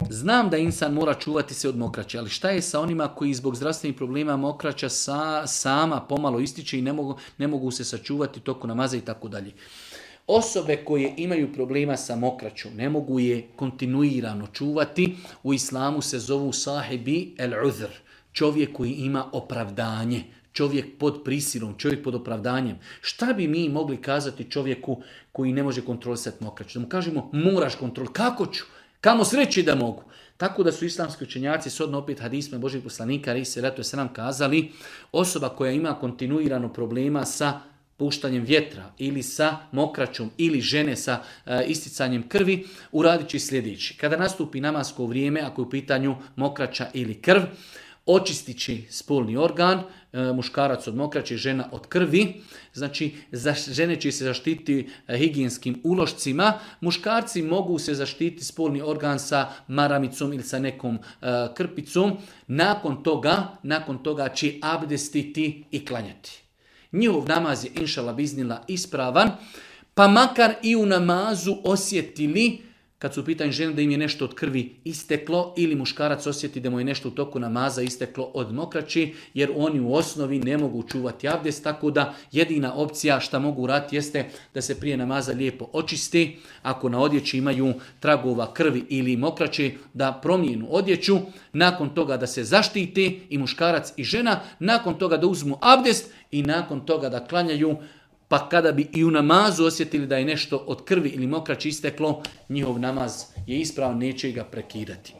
Znam da insan mora čuvati se od mokraće, ali šta je sa onima koji zbog zdravstvenih problema mokraća sama pomalo ističe i ne mogu se sačuvati toku namaza i tako dalje. Osobe koje imaju problema sa mokraćom, ne mogu je kontinuirano čuvati, u islamu se zovu sahibi el-udhr, čovjek koji ima opravdanje, čovjek pod prisilom, čovjek pod opravdanjem. Šta bi mi mogli kazati čovjeku koji ne može kontrolisati mokraću? Da mu kažemo, moraš kontrolirati, kako ću? Kamo sreći da mogu. Tako da su islamski učenjaci, shodno opet hadisma Božih poslanika, ali se leto se nam kazali, osoba koja ima kontinuirano problema sa puštanjem vjetra ili sa mokraćom ili žene sa isticanjem krvi, uradit će sljedeći. Kada nastupi namasko vrijeme, ako je u pitanju mokraća ili krv, očistit će spolni organ, muškarac od mokraće, žena od krvi. Znači, žene će se zaštiti higijenskim ulošcima, muškarci mogu se zaštiti spolni organ sa maramicom ili sa nekom krpicom. Nakon toga će abdestiti i klanjati. Njihov namaz je inšala biznila ispravan, pa makar i u namazu osjetili, kad su u pitanju žene da im je nešto od krvi isteklo, ili muškarac osjeti da mu je nešto u toku namaza isteklo od mokraći, jer oni u osnovi ne mogu čuvati abdest, tako da jedina opcija šta mogu raditi jeste da se prije namaza lijepo očisti, ako na odjeći imaju tragova krvi ili mokraće, da promijenu odjeću, nakon toga da se zaštite i muškarac i žena, nakon toga da uzmu abdest i nakon toga da klanjaju. Pa kada bi i u namazu osjetili da je nešto od krvi ili mokraći isteklo, njihov namaz je ispravan, neće ga prekidati.